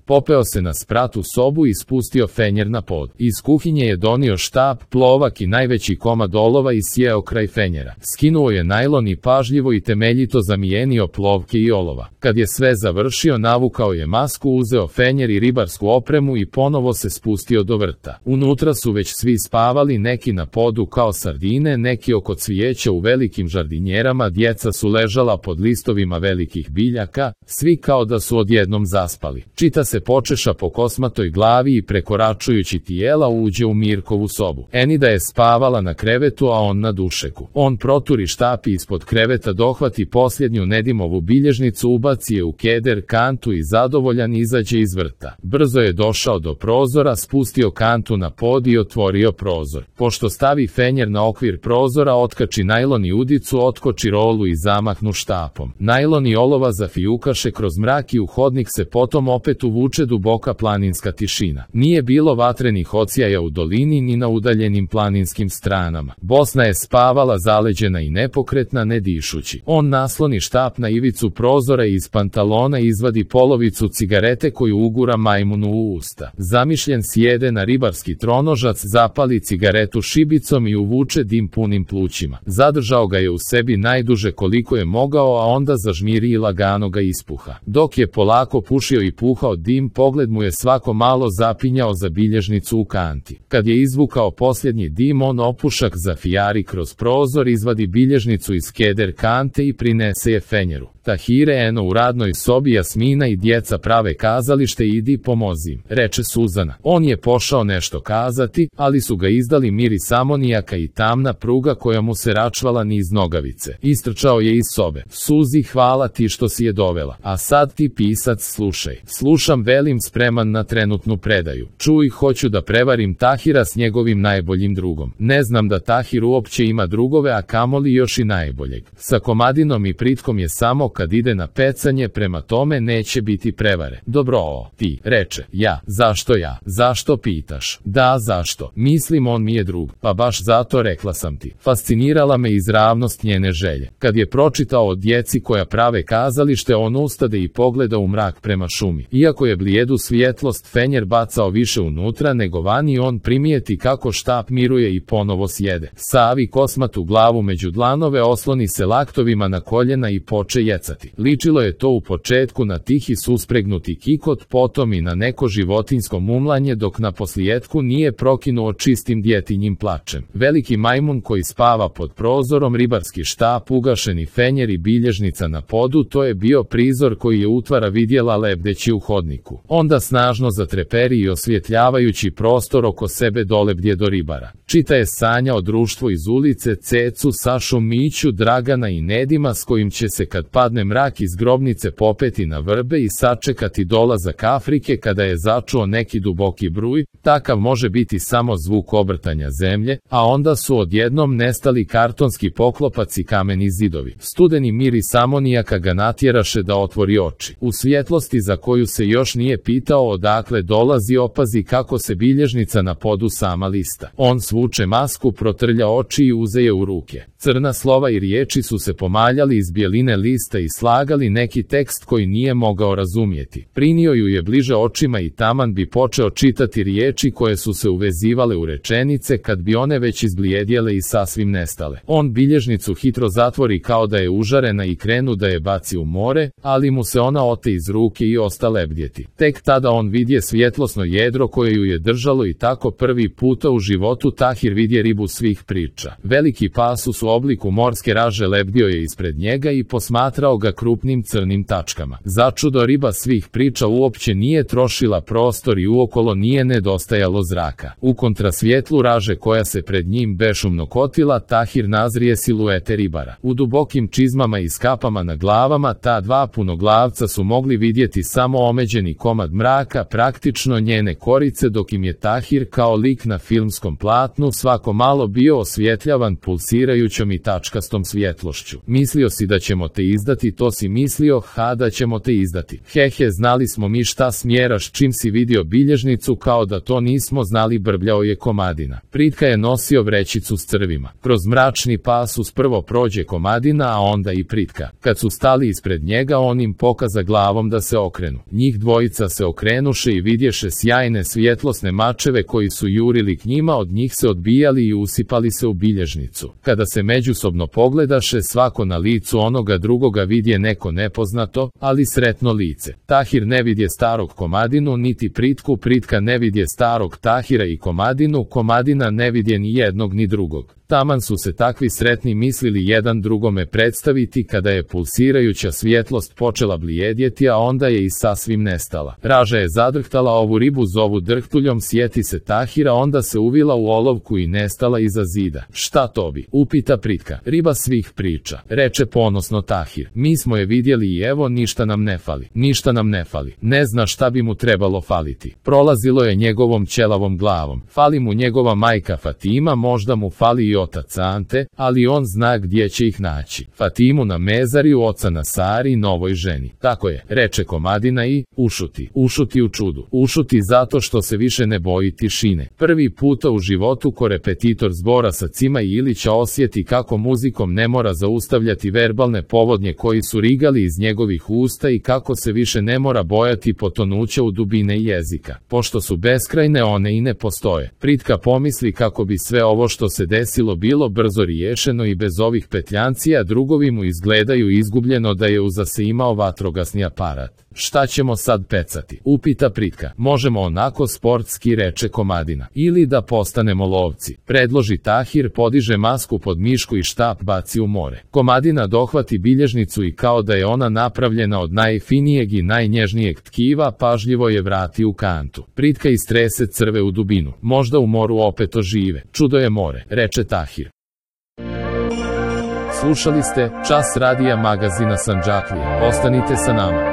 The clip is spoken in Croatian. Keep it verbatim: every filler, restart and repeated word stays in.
Popeo se na sprat u sobu i spustio fenjer na pod. Iz kuhinje je donio štap, plovak i najveći komad olova i sjeo kraj fenjera. Skinuo je najlon i pažljivo i temeljito zamijenio plovke i olova. Kad je sve završio, navukao je masku, uzeo fenjer i ribarsku opremu i ponovo se spustio do vrta. Unutra su već svi spavali, neki na podu kao sardine, neki oko cvijeća u velikim žardinjerama, djeca su ležala pod listovima velikih biljaka, svi kao da su odjednom zaspali. Čita se počeša po kosmatoj glavi i prekoračujući tijela uđe u Mirkovu sobu. Enida je spavala na krevetu, a on na dušeku. On proturi štap i ispod kreveta dohvati posljednju Nedimovu bilježnicu, ubaci je u keder kantu i zadovoljan izađe iz vrta. Brzo je došao do prozora, spustio kantu na pod i otvorio prozor. Pošto stavi fenjer na okvir prozora, otkači najlon i udicu, otkoči rolu i zamahnu štapom. Najlon i olova zafijukaše kroz mrak i u hodnik se potom opet uvuče duboka planinska tišina. Nije bilo vatrenih odsjaja u dolini ni na udaljenim planinskim stranama. Bosna je spavala zaleđena i nepokretna, ne dišući. On nasloni štap na ivicu prozora i iz pantalona izvadi polovicu cigarete koju ugura majmunu u usta. Zamišljen sjede na ribarski tronožac, zapali cigaretu šibicom i uvuče dim punim plućima. Zadržao ga je u sebi najduže koliko je mogao, a onda zažmiri i lagano ga ispuha. Dok je polako pušio i puhao dim, pogled mu je svako malo zapinjao za bilježnicu u kanti. Kad je izvukao posljednji dim, on opušak zafijari kroz prozor, izvadi bilježnicu iz keder kante i prinese je fenjeru. Tahire, eno u radnoj sobi, Jasmina i djeca prave kazalište, idi pomozi im, reče Suzana. On je pošao nešto kazati, ali su ga izdali miris amonijaka i tamna pruga koja mu se račvala niz nogavice. Istrčao je iz sobe. Suzi, hvala ti što si je dovela. A sad ti, pisac, slušaj. Slušam, velim, spreman na trenutnu predaju. Čuj, hoću da prevarim Tahira s njegovim najboljim drugom. Ne znam da Tahir uopće ima drugove, a kamoli još i najboljeg. Sa Komadinom i Pritkom je samo kad ide na pecanje, prema tome neće biti prevare. Dobro, o, ti, reče. Ja, zašto ja? Zašto pitaš? Da, zašto? Mislim, on mi je drug. Pa baš zato, rekla sam ti. Fascinirala me izravnost njene želje. Kad je pročitao o djeci koja prave kazalište, on ustade i pogleda u mrak prema šumi. Iako je blijedu svjetlost fenjer bacao više unutra nego vani, on primijeti kako štap miruje i ponovo sjede. Savi kosmatu glavu među dlanove, osloni se laktovima na koljena i poče jecati. Ličilo je to u početku na tihi suspregnuti kikot, potom i na neko životinjsko mumlanje, dok na poslijetku nije prokinuo čistim djetinjim plačem. Veliki majmun koji spava pod prozorom, ribarski štap, ugašeni fenjer i bilježnica na podu, to je bio prizor koji je utvara vidjela lebdeći u hodniku. Onda snažno zatreperi i osvjetljavajući prostor oko sebe dolebdje do ribara. Čita je sanjao društvo iz ulice, Cecu, Sašu, Miću, Dragana i Nedima, s kojim će se kad padne mrak iz grobnice popeti na vrbe i sačekati dolazak Afrike kada je začuo neki duboki bruj. Takav može biti samo zvuk obrtanja zemlje, a onda su odjednom nestali kartonski poklopac i kameni zidovi. Studeni miris amonijaka ga natjeraše da otvori oči. U svjetlosti za koju se još nije pitao odakle dolazi, opazi kako se bilježnica na podu sama lista. On svuče masku, protrlja oči i uze je u ruke. Crna slova i riječi su se pomaljali iz bijeline lista i slagali neki tekst koji nije mogao razumjeti. Prinio ju je bliže očima i taman bi počeo čitati riječi koje su se uvezivale u rečenice, kad bi one već izblijedjele i sasvim nestale. On bilježnicu hitro zatvori kao da je užarena i krenu da je baci u more, ali mu se ona ote iz ruke i osta lebdjeti. Tek tada on vidje svjetlosno jedro koje ju je držalo i tako prvi puta u životu Tahir vidje ribu svih priča. Veliki pasus u obliku morske raže lebdio je ispred njega i posmatrao ga krupnim crnim tačkama. Začudo, riba svih priča uopće nije trošila prostor i uokolo nije nedostajalo zraka. U kontrasvjetlu raže koja se pred njim bešumno kotila, Tahir nazrije siluete ribara. U dubokim čizmama i skapama na glavama ta dva punoglavca su mogli vidjeti samo omeđeni komad mraka, praktično njene korice, dok im je Tahir kao lik na filmskom platnu svako malo bio osvjetljavan pulsirajućom i tačkastom svjetlošću. Mislio si da ćemo te izdati, to si mislio, ha, da ćemo te izdati. Hehe, znali smo mi šta smjeraš čim si vidio bilježnicu, kao da to nismo znali, brbljao je Komadina. Pritka je nosio vrećicu s crvima. Kroz mračni pasus prvo prođe Komadina, a onda i Pritka. Kad su stali ispred njega, on im pokaza glavom da se okrenu. Njih dvoje dvojica se okrenuše i vidješe sjajne svjetlosne mačeve koji su jurili k njima, od njih se odbijali i usipali se u bilježnicu. Kada se međusobno pogledaše, svako na licu onoga drugoga vidje neko nepoznato, ali sretno lice. Tahir ne vidje starog Komadinu, niti Pritku, Pritka ne vidje starog Tahira i Komadinu, Komadina ne vidje ni jednog ni drugog. Taman su se takvi sretni mislili jedan drugome predstaviti kada je pulsirajuća svjetlost počela blijedjeti, a onda je i sasvim nestala. Raža je zadrhtala, ovu ribu zovu drhtuljom, sjeti se Tahira, onda se uvila u olovku i nestala iza zida. Šta to bi? Upita Pritka. Riba svih priča, reče ponosno Tahir. Mi smo je vidjeli i evo, ništa nam ne fali. Ništa nam ne fali. Ne zna šta bi mu trebalo faliti. Prolazilo je njegovom ćelavom glavom. Fali mu njegova majka Fatima, možda mu fali i otac Ante, ali on zna gdje će ih naći. Fatimu na mezariju oca na Sari, novoj ženi. Tako je, reče Komadina i ušuti. Ušuti u čudu. Ušuti zato što se više ne boji tišine. Prvi puta u životu korepetitor zbora sa Cima i Ilića osjeti kako muzikom ne mora zaustavljati verbalne povodnje koji su rigali iz njegovih usta i kako se više ne mora bojati potonuća u dubine jezika. Pošto su beskrajne, one i ne postoje. Pritka pomisli kako bi sve ovo što se desilo bilo brzo riješeno i bez ovih petljancija, drugovi mu izgledaju izgubljeno da je uza se imao vatrogasni aparat. Šta ćemo sad pecati? Upita Pritka. Možemo onako sportski, reče Komadina. Ili da postanemo lovci, predloži Tahir, podiže masku pod mišku i štap baci u more. Komadina dohvati bilježnicu i kao da je ona napravljena od najfinijeg i najnježnijeg tkiva, pažljivo je vrati u kantu. Pritka istrese crve u dubinu. Možda u moru opet ožive. Čudo je more, reče Tahir. Slušali ste Čas radija magazina Sandžaklija. Ostanite sa nama.